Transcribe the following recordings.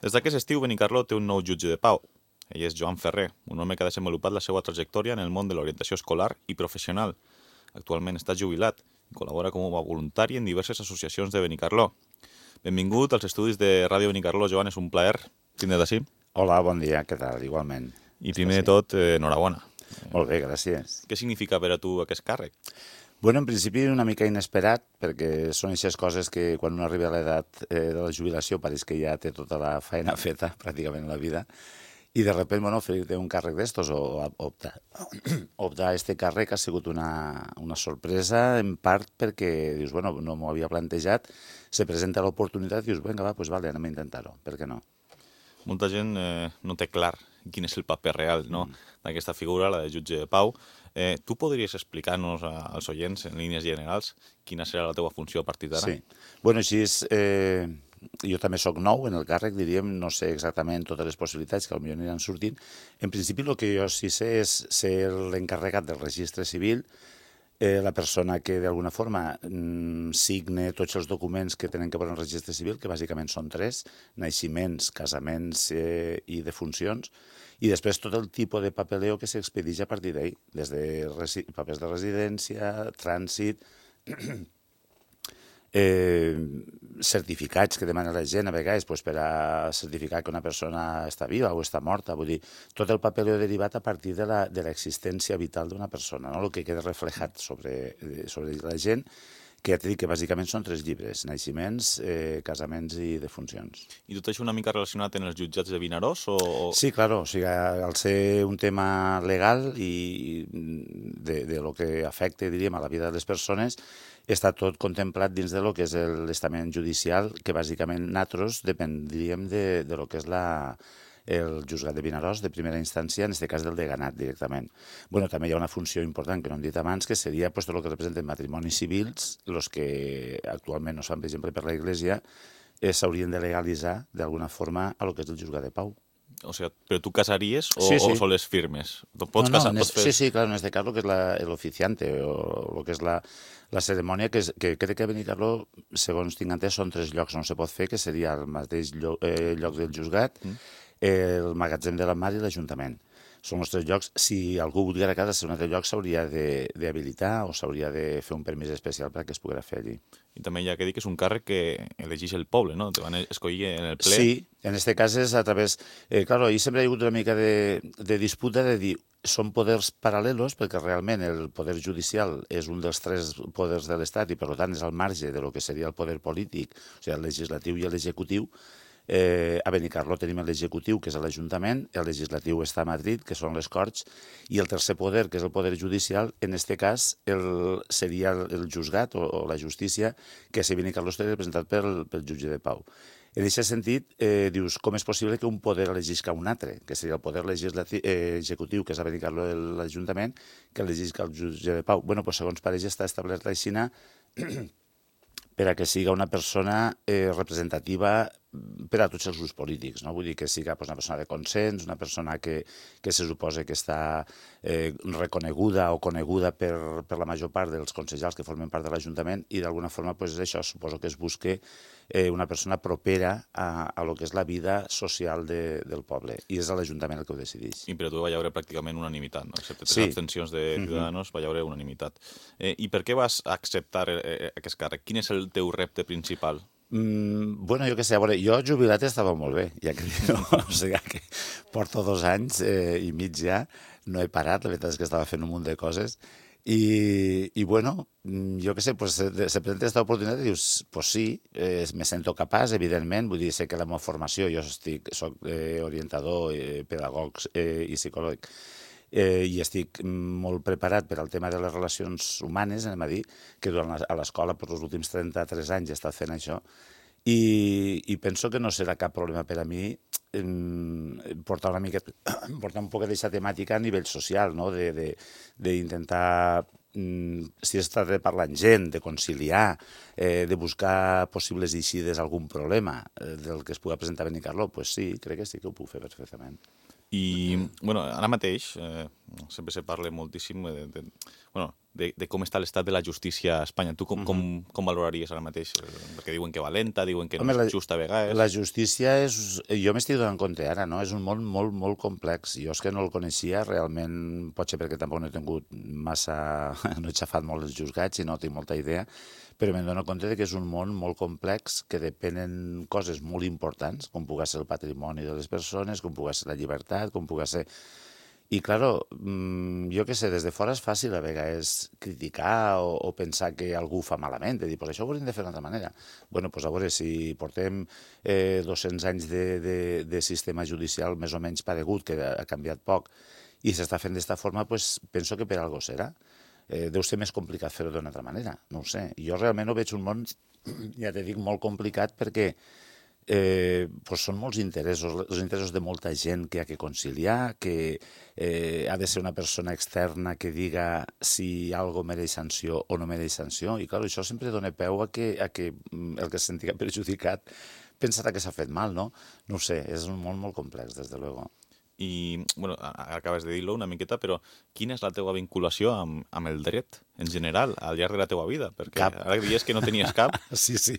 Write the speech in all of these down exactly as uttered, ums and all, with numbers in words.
Des d'aquest estiu, Benicarló té un nou jutge de pau. Ell és Joan Ferrer, un home que ha desenvolupat la seva trajectòria en el món de l'orientació escolar i professional. Actualment està jubilat i col·labora com a voluntari en diverses associacions de Benicarló. Benvingut als estudis de Ràdio Benicarló, Joan, és un plaer tindre't d'ací. Hola, bon dia, què tal? Igualment. I primer de tot, eh, enhorabona. Molt bé, gràcies. Què significa per a tu aquest càrrec? Bueno, en principi una mica inesperat, perquè són aquestes coses que quan un arriba a l'edat eh, de la jubilació pareix que ja té tota la feina feta, pràcticament, a la vida, i de sobte, bueno, fer-te un càrrec d'estos o optar, optar a este càrrec ha sigut una, una sorpresa, en part perquè, dius, bueno, no m'ho havia plantejat, se presenta l'oportunitat i dius, vinga, va, doncs vale, anem a intentar-ho, per què no? Molta gent eh, no té clar quin és el paper real, no? mm. d'aquesta figura, la de jutge de pau. Eh, tu podries explicar-nos als oients, en línies generals, quina serà la teva funció a partir d'ara? Sí. Bueno, així és... Eh, jo també sóc nou en el càrrec, diríem, no sé exactament totes les possibilitats que potser aniran sortint. En principi, el que jo sí sé és ser l'encarregat del registre civil, eh, la persona que d'alguna forma mm, signe tots els documents que tenen que veure en el registre civil, que bàsicament són tres, naixements, casaments eh, i defuncions, i després tot el tipus de papeleo que s'expedeix a partir d'ahir, des de papers de residència, trànsit, eh, certificats que demana la gent a vegades pues, per a certificar que una persona està viva o està morta, vull dir, tot el papeleo derivat a partir de l'existència vital d'una persona, no? El que queda reflejat sobre, sobre la gent, que ja t'he dit que bàsicament són tres llibres, naixements, eh, casaments i defuncions. I tot això una mica relacionat en els jutjats de Vinaròs? O... Sí, claro, o sigui, al ser un tema legal i de, de lo que afecta, diríem, a la vida de les persones, està tot contemplat dins de lo que és l'estament judicial, que bàsicament nosaltres dependríem de, de lo que és la, el juzgat de Vinaròs de primera instància, en aquest cas del deganat directament. Bueno, també hi ha una funció important que no hem dit abans, que seria pues, tot el que representen matrimonis civils, els que actualment no es fan, per exemple, per la Iglesia, s'haurien de legalitzar d'alguna forma a lo que és el juzgat de pau. O sigui, però tu casaries o, sí, sí. o sols firmes? Pots no, no, casar, en pots es, fer... Sí, sí, claro, en este cas lo que és la, el oficiante o lo que és la, la cerimònia, que, és, que crec que a Benicarló, segons tinc entès, són tres llocs on se pot fer, que seria el mateix lloc, eh, lloc del juzgat, mm. el magatzem de la Mar i l'Ajuntament. Són els tres llocs. Si algú volia a casa ser un altre lloc, s'hauria d'habilitar o s'hauria de fer un permís especial perquè es pogués fer allí. I també hi ha que dir que és un càrrec que elegeix el poble, no? Te van escollir en el ple. Sí, en aquest cas és a través... Eh, claro, ahí sempre hi ha hagut una mica de, de disputa de dir són poders paral·lelos, perquè realment el poder judicial és un dels tres poders de l'Estat i, per tant, és al marge de lo que seria el poder polític, o sigui, el legislatiu i l'executiu. Eh, a Benicarló tenim l'executiu, que és l'Ajuntament, el legislatiu està a Madrid, que són les Corts, i el tercer poder, que és el poder judicial, en aquest cas el, seria el juzgat o, o la justícia, que a Benicarló estaria representat pel, pel jutge de pau. En aquest sentit, eh, dius, com és possible que un poder elegisca un altre, que seria el poder legislatiu, eh, executiu, que és a Benicarló l'Ajuntament, que elegisca el jutge de pau? Bueno, pues, segons pareix està establert així per a que siga una persona eh, representativa per a tots els grups polítics, no? Vull dir que siga pues, una persona de consens, una persona que, que se suposa que està eh, reconeguda o coneguda per, per la major part dels consellers que formen part de l'Ajuntament i d'alguna forma pues, això suposo que es busque eh, una persona propera a, a lo que és la vida social de, del poble i és l'Ajuntament el que ho decideix. I per a tu va haure pràcticament unanimitat, no? Excepte tres sí. abstencions de Ciudadanos, va haure unanimitat. Eh, I per què vas acceptar eh, aquest càrrec? Quin és el teu repte principal? Mm, bueno, jo què sé, a veure, jo jubilat estava molt bé, ja que no, o sigui que porto dos anys eh, i mig ja, no he parat, la veritat és que estava fent un munt de coses, i, i bueno, jo què sé, pues, se, se presenta aquesta oportunitat i dius, pues sí, eh, me sento capaç, evidentment, vull dir, sé que la meva formació, jo estic, soc eh, orientador, eh, pedagog eh, i psicòleg, Eh, i estic molt preparat per al tema de les relacions humanes, anem a dir, que durant la, a l'escola per els últims trenta-tres anys he estat fent això, i, i penso que no serà cap problema per a mi eh, portar una mica, portar un poc d'aquesta temàtica a nivell social, no? D'intentar, si es tracta de parlar amb gent, de conciliar, eh, de buscar possibles eixides a algun problema eh, del que es pugui presentar a Benicarló, pues sí, crec que sí que ho puc fer perfectament. I, bueno, ara mateix, eh, sempre se parla moltíssim de, de, bueno, de, de com està l'estat de la justícia a Espanya. Tu com, uh -huh. com, com valoraries ara mateix? Perquè diuen que va lenta, diuen que Home, no és justa a vegades. La justícia és... Jo m'estic donant compte ara, no? És un món molt, molt complex. Jo és que no el coneixia, realment, potser perquè tampoc no he tingut massa... no he xafat molt els juzgats i no tinc molta idea, però me'n dono compte de que és un món molt complex, que depenen coses molt importants, com pugui ser el patrimoni de les persones, com pugui ser la llibertat, com pugui ser... I, claro, jo què sé, des de fora és fàcil a vegades criticar o, o pensar que algú fa malament, de dir, pues això ho hauríem de fer d'una altra manera. Bueno, doncs a veure, si portem eh, dos-cents anys de, de, de sistema judicial més o menys paregut, que ha canviat poc, i s'està fent d'esta forma, pues penso que per algo serà. Eh, deu ser més complicat fer-ho d'una altra manera, no ho sé. Jo realment ho veig un món, ja te dic, molt complicat perquè Eh, pues són molts interessos, els interessos de molta gent que ha que conciliar, que eh, ha de ser una persona externa que diga si algo mereix sanció o no mereix sanció, i clar, això sempre dona peu a que, a que el que se sentia perjudicat pensarà que s'ha fet mal, no? No ho sé, és un món molt complex, des de luego. I, bueno, acabes de dir-lo una miqueta, però quina és la teva vinculació amb, amb el dret, en general, al llarg de la teva vida? Perquè cap. Ara dius que no tenies cap. Sí, sí,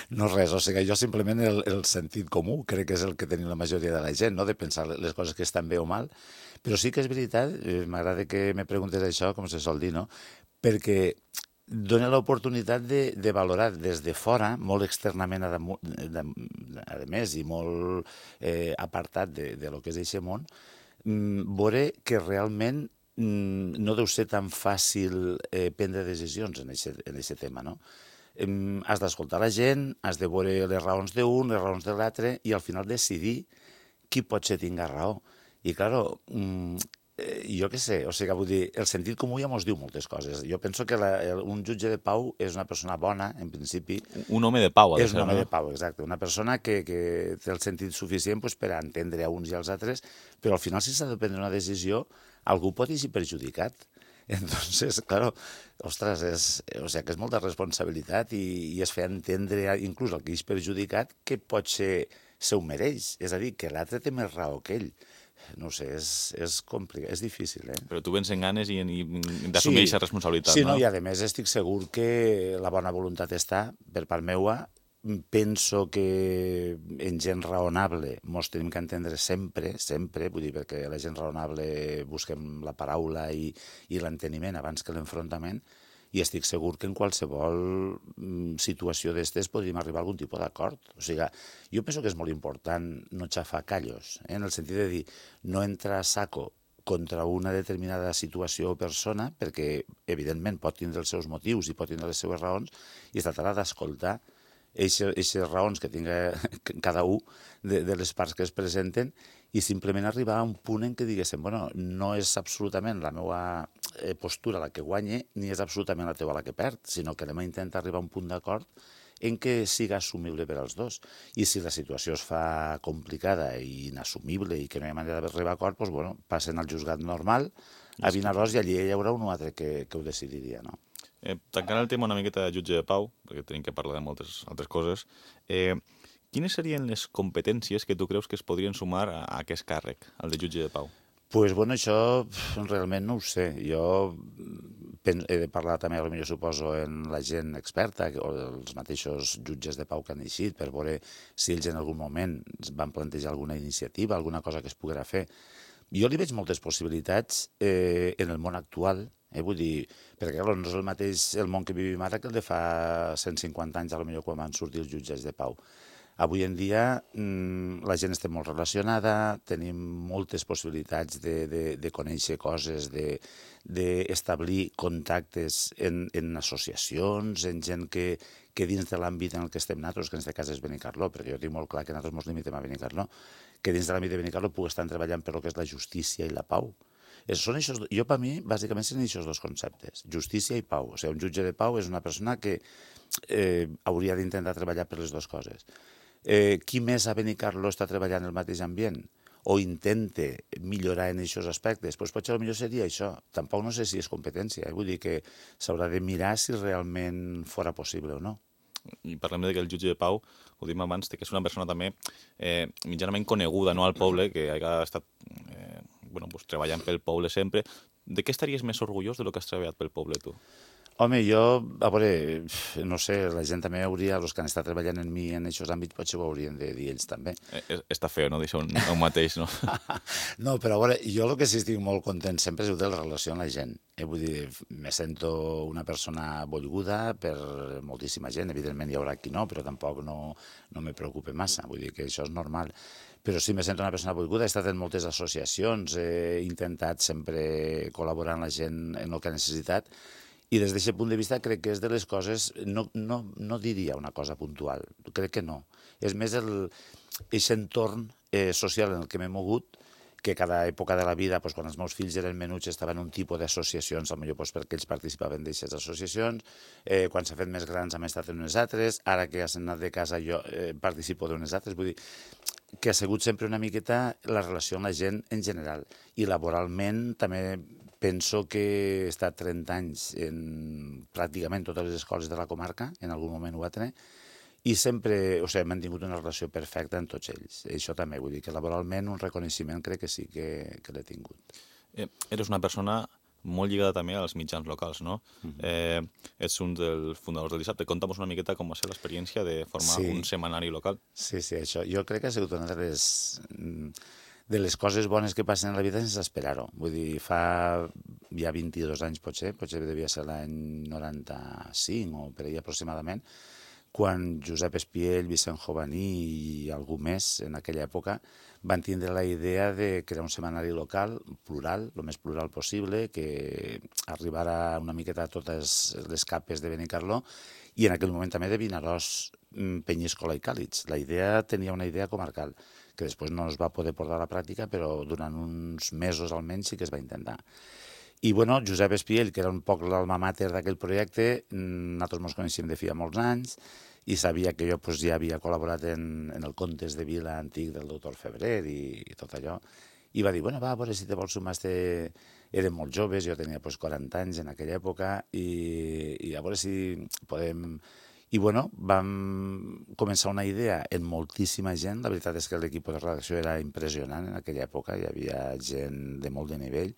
no res, o sigui, jo simplement el, el sentit comú crec que és el que tenim la majoria de la gent, no?, de pensar les coses que estan bé o mal, però sí que és veritat, eh, m'agrada que me preguntes això, com se sol dir, no?, perquè dona l'oportunitat de, de valorar des de fora, molt externament a, damunt, de, a més i molt eh, apartat de, de lo que és aquest món, mm, veure que realment mm, no deu ser tan fàcil eh, prendre decisions en aquest tema, no? Eh, has d'escoltar la gent, has de veure les raons d'un, les raons de l'altre, i al final decidir qui pot ser tinga raó. I, clar, mm, Eh, jo què sé, o sigui, vull dir, el sentit comú ja mos diu moltes coses. Jo penso que la, el, un jutge de pau és una persona bona, en principi. Un home de pau, ha de ser, no? És un home de pau, exacte. Una persona que, que té el sentit suficient pues, per a entendre a uns i als altres, però al final, si s'ha de prendre una decisió, algú pot ser perjudicat. Entonces, claro, ostres, és, o sigui, que és molta responsabilitat i, i es fer entendre inclús el que és perjudicat que pot ser, se ho mereix. És a dir, que l'altre té més raó que ell. No sé, és, és complicat, és difícil, eh? Però tu vens en ganes i, i d'assumir aquesta sí, responsabilitat, sí, no? Sí, no, i a més estic segur que la bona voluntat està per part meua. Penso que en gent raonable mos tenim que entendre sempre, sempre, vull dir, perquè la gent raonable busquem la paraula i, i l'enteniment abans que l'enfrontament, i estic segur que en qualsevol situació d'estes podríem arribar a algun tipus d'acord. O sigui, jo penso que és molt important no xafar callos, eh? En el sentit de dir, no entrar a saco contra una determinada situació o persona, perquè, evidentment, pot tindre els seus motius i pot tindre les seues raons, i es tractarà d'escoltar aquestes raons que tinga cada un de, de les parts que es presenten i simplement arribar a un punt en què diguéssim, bueno, no és absolutament la meva postura la que guanya ni és absolutament la teva la que perd, sinó que anem a intentar arribar a un punt d'acord en què siga assumible per als dos. I si la situació es fa complicada i inassumible i que no hi ha manera d'arribar a acord, doncs, bueno, passen al juzgat normal, a Vinaròs, i allí hi haurà un altre que, que ho decidiria, no? Eh, tancant el tema una miqueta de jutge de pau, perquè tenim que parlar de moltes altres coses, eh, quines serien les competències que tu creus que es podrien sumar a, a aquest càrrec, el de jutge de pau? Pues, bueno, això realment no ho sé. Jo he de parlar també, potser suposo, en la gent experta o els mateixos jutges de pau que han eixit per veure si ells en algun moment van plantejar alguna iniciativa, alguna cosa que es poguera fer. Jo li veig moltes possibilitats eh, en el món actual, eh, vull dir, perquè no és el mateix el món que vivim ara que el de fa cent cinquanta anys, potser quan van sortir els jutges de pau. Avui en dia la gent està molt relacionada, tenim moltes possibilitats de, de, de conèixer coses, d'establir de, contactes en, en associacions, en gent que, que dins de l'àmbit en el que estem nosaltres, que en aquest cas és Benicarló, perquè jo tinc molt clar que nosaltres ens limitem a Benicarló, que dins de l'àmbit de Benicarló puc estar treballant per el que és la justícia i la pau. Són eixos, jo, per mi, bàsicament són aquests dos conceptes, justícia i pau. O sigui, un jutge de pau és una persona que eh, hauria d'intentar treballar per les dues coses. Eh, qui més a Benicarló està treballant en el mateix ambient o intenta millorar en aquests aspectes, doncs potser potser seria això. Tampoc no sé si és competència, eh? Vull dir que s'haurà de mirar si realment fora possible o no. I parlem de que el jutge de pau, ho dim abans, que és una persona també eh, mitjanament coneguda, no, al poble, que ha estat eh, bueno, pues, treballant pel poble sempre. De què estaries més orgullós de lo que has treballat pel poble, tu? Home, jo, a veure, no sé, la gent també hauria, els que han estat treballant en mi en aquests àmbits, potser ho haurien de dir ells també. Eh, està feo, no?, deixar un, un mateix, no? No, però a veure, jo el que sí estic molt content sempre és de la relació amb la gent. Eh? Vull dir, me sento una persona volguda per moltíssima gent. Evidentment hi haurà qui no, però tampoc no, no me preocupa massa. Vull dir que això és normal. Però sí, me sento una persona volguda. He estat en moltes associacions, he intentat sempre col·laborar amb la gent en el que ha necessitat. I des d'aquest punt de vista crec que és de les coses, no, no, no diria una cosa puntual, crec que no. És més el, aquest entorn eh, social en el que m'he mogut, que cada època de la vida, doncs, quan els meus fills eren menuts, estaven en un tipus d'associacions, potser doncs, perquè ells participaven d'aquestes associacions, eh, quan s'ha fet més grans hem estat en unes altres, ara que has anat de casa jo eh, participo d'unes altres, vull dir que ha sigut sempre una miqueta la relació amb la gent en general. I laboralment també penso que he estat trenta anys en pràcticament totes les escoles de la comarca, en algun moment ho va tenir, i sempre, o sigui, he mantingut una relació perfecta amb tots ells. Això també, vull dir que laboralment un reconeixement crec que sí que, que l'he tingut. Eh, eres una persona molt lligada també als mitjans locals, no? Uh-huh. eh, ets un dels fundadors del Dissabte. Conta'm una miqueta com va ser l'experiència de formar sí. un setmanari local. Sí, sí, això. Jo crec que ha sigut una de les, de les coses bones que passen a la vida sense esperar-ho. Vull dir, fa ja vint-i-dos anys potser, potser devia ser l'any noranta-cinc o per ahir aproximadament, quan Josep Espiell, Vicent Jovaní i algú més en aquella època van tindre la idea de crear un setmanari local, plural, el més plural possible, que arribara una miqueta a totes les capes de Benicarló i en aquell moment també de Vinaròs, Penyíscola i Càlits. La idea tenia una idea comarcal, que després no es va poder portar a la pràctica, però durant uns mesos almenys sí que es va intentar. I, bueno, Josep Espiell, que era un poc l'alma mater d'aquell projecte, nosaltres ens coneixíem de feia molts anys i sabia que jo pues, ja havia col·laborat en, en el Contes de Vila antic del doctor Febrer i, i tot allò. I va dir, bueno, va, a veure si te vols sumar. Este... Érem molt joves, jo tenia pues, quaranta anys en aquella època i, i a veure si podem... I, bueno, vam començar una idea en moltíssima gent. La veritat és que l'equip de redacció era impressionant en aquella època, hi havia gent de molt de nivell.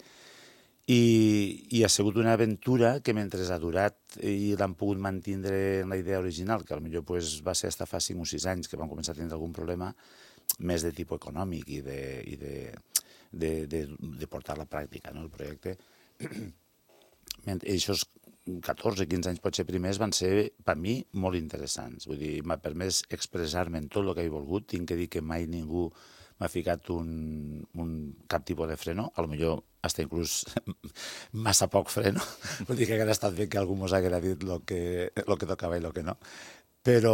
I, i ha sigut una aventura que mentre ha durat i l'han pogut mantenir en la idea original, que potser pues, va ser fins fa cinc o sis anys que vam començar a tenir algun problema més de tipus econòmic i de, i de, de, de, de portar a la pràctica, no, el projecte. Aquests catorze o quinze anys potser primers van ser, per mi, molt interessants. Vull dir, m'ha permès expressar-me en tot el que he volgut. Tinc que dir que mai ningú m'ha ficat un, un cap tipus de freno, a lo millor hasta inclús massa poc freno, vull dir que hauria estat bé que algú mos haguera dit el que, lo que tocava i el que no. Però,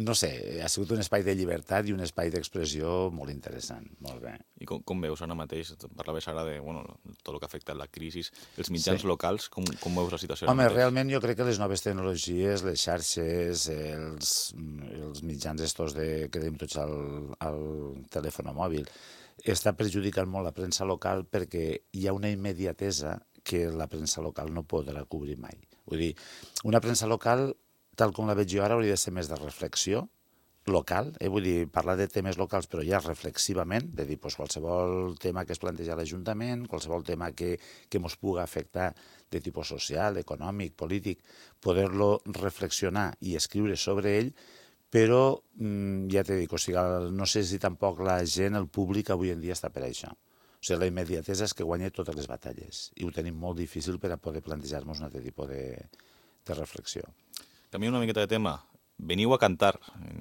no sé, ha sigut un espai de llibertat i un espai d'expressió molt interessant, molt bé. I com, com veus ara mateix, parlaves ara de bueno, tot el que afecta la crisi, els mitjans sí. locals, com, com veus la situació? Home, realment jo crec que les noves tecnologies, les xarxes, els, els mitjans estos de, que tenim tots al, al telèfon mòbil, està perjudicant molt la premsa local perquè hi ha una immediatesa que la premsa local no podrà cobrir mai. Vull dir, una premsa local, tal com la veig jo ara, hauria de ser més de reflexió local, eh? Vull dir, parlar de temes locals, però ja reflexivament, de dir pues, qualsevol tema que es planteja a l'Ajuntament, qualsevol tema que, que ens pugui afectar de tipus social, econòmic, polític, poder-lo reflexionar i escriure sobre ell, però mmm, ja t'he dit, o sigui, no sé si tampoc la gent, el públic, avui en dia està per això. O sigui, la immediatesa és que guanya totes les batalles i ho tenim molt difícil per a poder plantejar-nos un altre tipus de, de reflexió. Canviem una miqueta de tema. Veniu a cantar.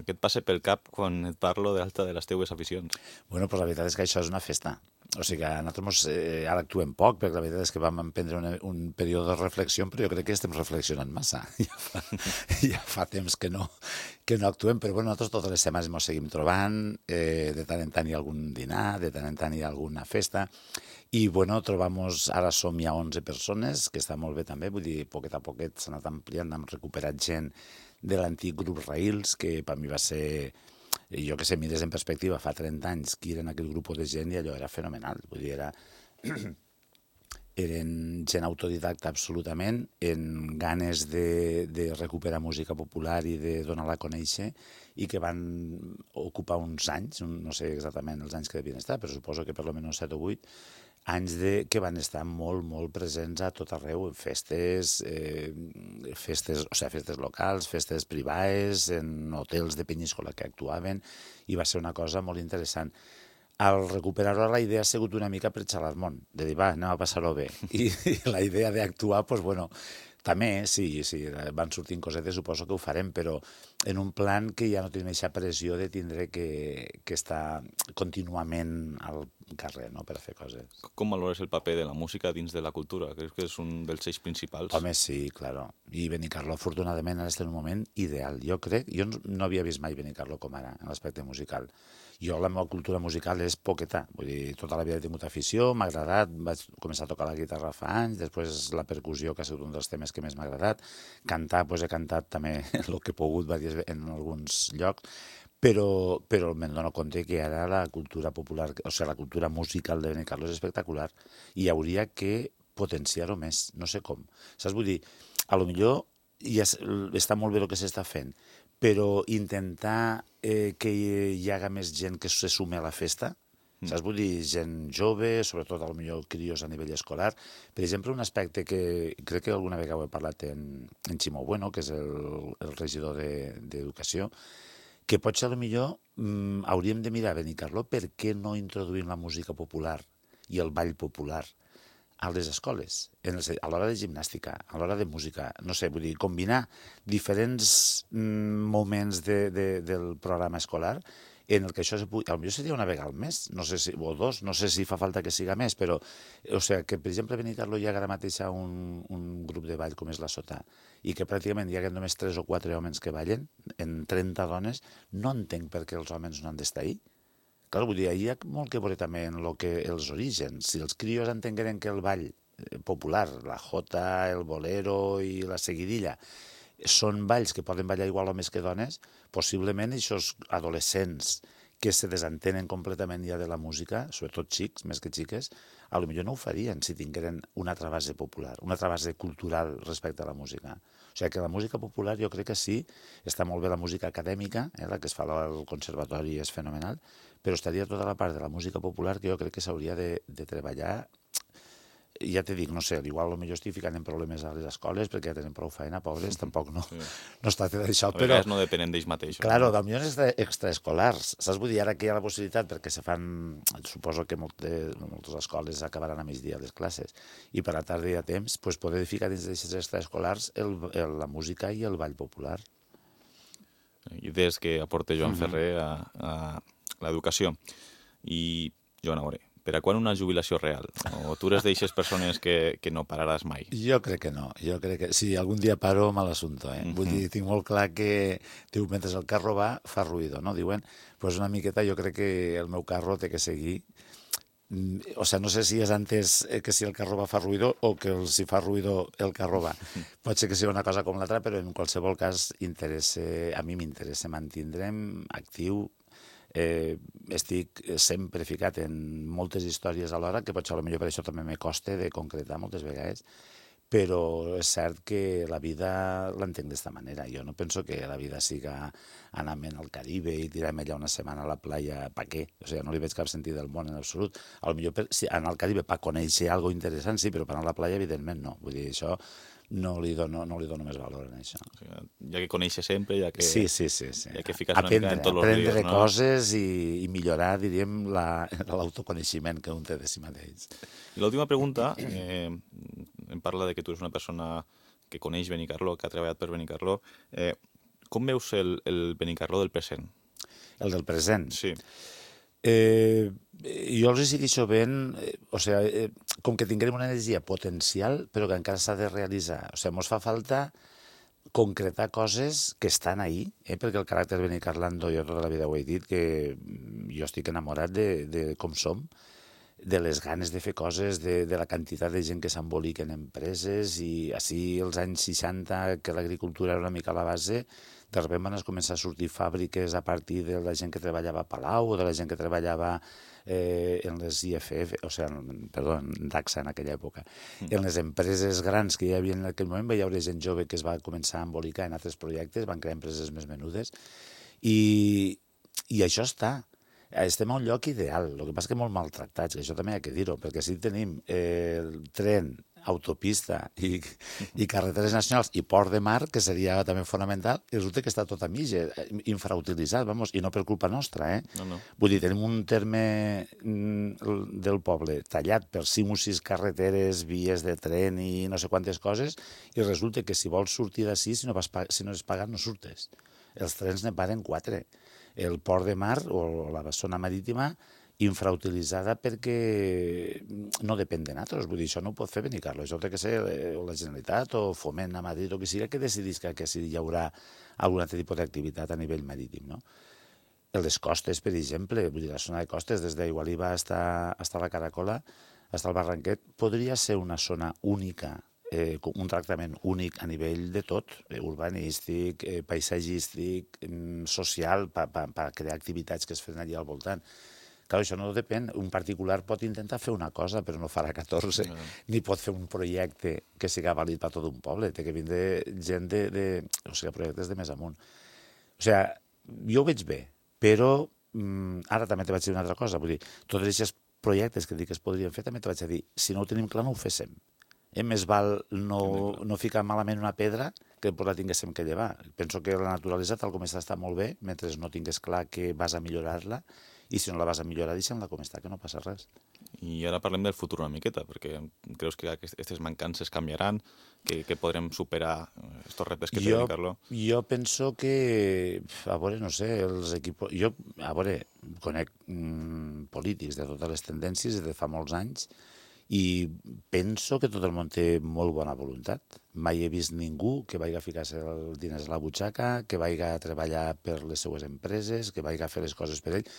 Què et passa pel cap quan et parlo d'alta de les teues aficions? Bueno, pues la veritat és que això és una festa. O sigui que nosaltres eh, ara actuem poc, perquè la veritat és que vam emprendre un, un període de reflexió, però jo crec que estem reflexionant massa. Ja fa, ja fa temps que no, que no actuem, però bueno, nosaltres totes les setmanes ens seguim trobant, eh, de tant en tant hi ha algun dinar, de tant en tant hi ha alguna festa, i bueno, trobamos, ara som ja onze persones, que està molt bé també, vull dir, poquet a poquet s'ha anat ampliant, hem recuperat gent de l'antic grup Raïls, que per mi va ser, jo que sé, mires en perspectiva, fa trenta anys que eren aquell grup de gent i allò era fenomenal, vull dir, era... eren gent autodidacta absolutament, en ganes de, de recuperar música popular i de donar-la a conèixer, i que van ocupar uns anys, no sé exactament els anys que devien estar, però suposo que per almenys set o vuit, anys de, que van estar molt, molt presents a tot arreu, en festes, eh, festes, o sigui, festes locals, festes privades, en hotels de Penyíscola que actuaven, i va ser una cosa molt interessant. Al recuperar-ho, la idea ha sigut una mica per xalar el món, de dir, va, anem a passar-ho bé. I, i la idea d'actuar, doncs, bueno, també, sí, sí, van sortint cosetes, suposo que ho farem, però en un plan que ja no tenim aquesta pressió de tindre que, que estar contínuament al carrer, no?, per a fer coses. Com valores el paper de la música dins de la cultura? Creus que és un dels eixos principals? Home, sí, claro. I Benicarló, afortunadament, ara està en un moment ideal. Jo crec, jo no havia vist mai Benicarló com ara, en l'aspecte musical. Jo, la meva cultura musical és poqueta, vull dir, tota la vida he tingut afició, m'ha agradat, vaig començar a tocar la guitarra fa anys, després la percussió, que ha sigut un dels temes que més m'ha agradat, cantar, doncs he cantat també el que he pogut en alguns llocs, però, però me'n dono compte que ara la cultura popular, o sigui, la cultura musical de Benicarló és espectacular i hauria que potenciar-ho més, no sé com. Saps? Vull dir, a lo millor ja està molt bé el que s'està fent, però intentar eh, que hi haga més gent que se sume a la festa, mm. saps? Vull dir, gent jove, sobretot a lo millor crios a nivell escolar. Per exemple, un aspecte que crec que alguna vegada ho he parlat en, en Ximo Bueno, que és el, el regidor d'Educació, de, que potser a lo millor mm, hauríem de mirar a Benicarló per què no introduïm la música popular i el ball popular a les escoles, en el, a l'hora de gimnàstica, a l'hora de música, no sé, vull dir, combinar diferents mm, moments de, de, del programa escolar en el que això se pugui... Potser seria una vegada al mes, no sé si, o dos, no sé si fa falta que siga més, però, o sigui, que per exemple a Benicarló hi ha ara mateix un, un grup de ball com és la Sota, i que pràcticament hi ha només tres o quatre homes que ballen, en trenta dones, no entenc per què els homes no han d'estar ahí. Clar, vull dir, hi ha molt que veure també en lo que, els orígens. Si els crios entengueren que el ball popular, la jota, el bolero i la seguidilla, són balls que poden ballar igual homes que dones, possiblement aquests adolescents que se desentenen completament ja de la música, sobretot xics, més que xiques, a lo millor no ho farien si tingueren una altra base popular, una altra base cultural respecte a la música. O sigui que la música popular jo crec que sí, està molt bé la música acadèmica, eh, la que es fa al conservatori és fenomenal, però estaria tota la part de la música popular que jo crec que s'hauria de, de treballar. Ja te dic, no sé, igual potser estic ficant en problemes a les escoles perquè ja tenen prou feina, pobres, tampoc no, sí. no es tracta d'això. A vegades no depenen d'ells mateixos. Claro, no? Potser extra, extraescolars, saps? Vull dir, ara que hi ha la possibilitat, perquè se fan, suposo que moltes, moltes escoles acabaran a migdia les classes, i per la tarda hi ha temps, pues, poder ficar dins d'aquests extraescolars el, el, la música i el ball popular. Idees que aporta Joan Ferrer a, a l'educació. I, Joan, a veure, per a quan una jubilació real? O tu eres d'aixes persones que, que no pararàs mai? Jo crec que no. Jo crec que si algun dia paro, mal assumpto, eh? Mm-hmm. Vull dir, tinc molt clar que, diu, mentre el carro va, fa ruïdo, no? Diuen, pues una miqueta jo crec que el meu carro té que seguir. O sea, no sé si és antes que si el carro va fa ruïdo o que si fa ruïdo el carro va. Pot ser que sigui una cosa com l'altra, però en qualsevol cas interessa, a mi m'interessa mantindre'm actiu. Eh, estic sempre ficat en moltes històries alhora, que potser potser per això també me costa de concretar moltes vegades, però és cert que la vida l'entenc d'esta manera. Jo no penso que la vida siga anar-me'n al Caribe i tirar-me allà una setmana a la playa, pa què? O sigui, no li veig cap sentit del món en absolut. A lo millor per, si anar al Caribe per conèixer alguna cosa interessant, sí, però per anar a la playa, evidentment, no. Vull dir, això no li dono, no li dono més valor en això. O sigui, ja que coneixes sempre, ja que, sí, sí, sí, sí. ja que fiques aprendre, una mica en tots els rius, aprendre no? coses i, i millorar, diríem, l'autoconeixement la, que un té de si mateix. I l'última pregunta, eh, em parla de que tu ets una persona que coneix Benicarló, que ha treballat per Benicarló. Eh, com veus el, el Benicarló del present? El del present? Sí. Eh, jo els segueixo ben, eh, o sigui, eh, com que tinguem una energia potencial, però que encara s'ha de realitzar. O sigui, ens fa falta concretar coses que estan ahí, eh, perquè el caràcter benicarlando, jo tota la vida ho he dit, que jo estic enamorat de, de com som, de les ganes de fer coses, de, de la quantitat de gent que s'embolica en empreses, i així els anys seixanta, que l'agricultura era una mica a la base, de sobte van començar a sortir fàbriques a partir de la gent que treballava a Palau o de la gent que treballava eh, en les I F F, o sigui, perdó, en DACSA en aquella època. Mm. En les empreses grans que hi havia en aquell moment, hi havia gent jove que es va començar a embolicar en altres projectes, van crear empreses més menudes, i, i això està. estem a un lloc ideal, el que passa que molt maltractats, que això també hi ha que dir-ho, perquè si tenim eh, el tren, autopista i, i carreteres nacionals i port de mar, que seria també fonamental, i resulta que està tot a mig, eh, infrautilitzat, vamos, i no per culpa nostra, eh? No, no. Vull dir, tenim un terme mm, del poble tallat per cinc o sis carreteres, vies de tren i no sé quantes coses, i resulta que si vols sortir d'ací, si, no vas pa- si no és pagat, no surtes. Els trens ne paren quatre. El port de mar o la zona marítima infrautilitzada perquè no depèn de nosaltres. Vull dir, això no ho pot fer Benicarló. Això té que ser eh, o la Generalitat o Foment a Madrid o qui sigui que decidís que, que si hi haurà algun altre tipus d'activitat a nivell marítim, no? Les costes, per exemple, vull dir, la zona de costes, des d'Igualiba fins a la Caracola, fins al Barranquet, podria ser una zona única, eh, un tractament únic a nivell de tot, eh, urbanístic, eh, paisatgístic, eh, social, per pa, pa crear activitats que es fan allà al voltant. Clar, això no depèn. Un particular pot intentar fer una cosa, però no farà catorze, no. Ni pot fer un projecte que siga vàlid per tot un poble. Té que vindre gent de, de... O sigui, projectes de més amunt. O sigui, jo ho veig bé, però mm, ara també te vaig dir una altra cosa. Vull dir, tots aquests projectes que dic que es podrien fer, també te vaig dir, si no ho tenim clar, no ho féssim. Eh, més val no, no ficar malament una pedra que després la tinguéssim que llevar. Penso que la naturalesa, tal com està, està molt bé, mentre no tingués clar que vas a millorar-la, i si no la vas a millorar, deixa'm-la com està, que no passa res. I ara parlem del futur una miqueta, perquè creus que aquestes mancances canviaran, que, que podrem superar aquests reptes que té Benicarló? Jo penso que, a veure, no sé, els equips... Jo, a veure, conec mm, polítics de totes les tendències de fa molts anys i penso que tot el món té molt bona voluntat. Mai he vist ningú que vagi a ficar-se els diners a la butxaca, que vagi a treballar per les seues empreses, que vagi a fer les coses per ell.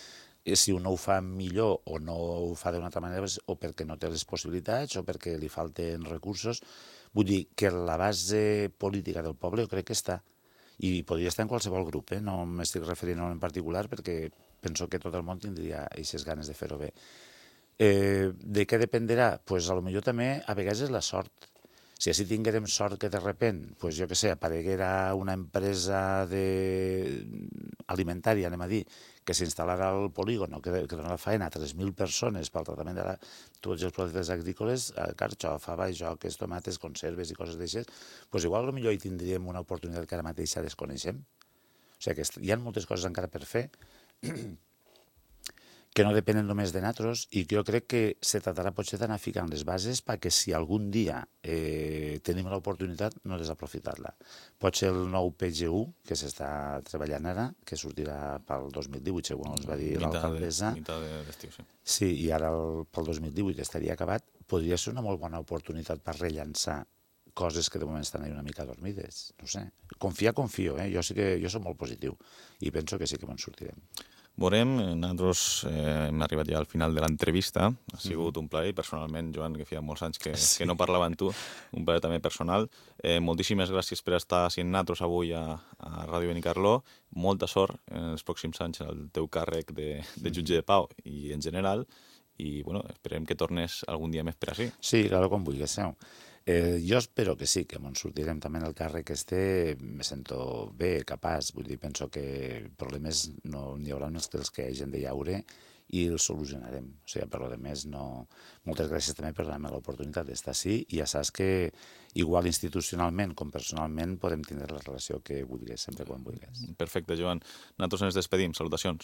Si un no ho fa millor o no ho fa d'una altra manera, o perquè no té les possibilitats o perquè li falten recursos. Vull dir que la base política del poble jo crec que està. I podria estar en qualsevol grup, eh? No m'estic referint a un en particular perquè penso que tot el món tindria aquestes ganes de fer-ho bé. Eh, de què dependrà? Doncs pues, a lo millor també a vegades és la sort. Si així tinguérem sort que de repent, pues, jo què sé, apareguera una empresa de... alimentària, anem a dir, que s'instal·larà al polígon, que, que dona feina a tres mil persones pel tractament de la... tots els productes agrícoles, carxofa, bajoques, tomates, conserves i coses d'aixes, doncs igual potser hi tindríem una oportunitat que ara mateix ja desconeixem. O sigui que hi ha moltes coses encara per fer que no depenen només de nosaltres i que jo crec que se tratarà potser d'anar ficant les bases perquè si algun dia eh, tenim l'oportunitat no desaprofitar-la. Pot ser el nou P G U que s'està treballant ara, que sortirà pel dos mil divuit, segons ens va dir l'alcaldessa. Mitad de l'estiu, sí. Sí, i ara el, pel dos mil divuit estaria acabat. Podria ser una molt bona oportunitat per rellançar coses que de moment estan ahí una mica dormides. No sé. Confiar, confio, eh? Jo sí que jo soc molt positiu i penso que sí que me'n sortirem. Veurem, nosaltres eh, hem arribat ja al final de l'entrevista, ha sigut mm-hmm. un plaer, personalment, Joan, que feia molts anys que, sí. que no parlava amb tu, un plaer també personal. Eh, moltíssimes gràcies per estar sent nosaltres avui a, a Ràdio Benicarló, molta sort en els pròxims anys al teu càrrec de, de jutge de pau i en general, i bueno, esperem que tornes algun dia més per així. Sí, claro, com vulguis, seu. Eh, jo espero que sí, que ens sortirem també en el càrrec este, me sento bé, capaç, vull dir, penso que problemes no n'hi haurà uns que els que hagin de llaure i els solucionarem. O sigui, per lo de més, no... Moltes gràcies també per donar-me l'oportunitat d'estar així i ja saps que igual institucionalment com personalment podem tindre la relació que vulguis, sempre quan vulguis. Perfecte, Joan. Nosaltres ens despedim. Salutacions.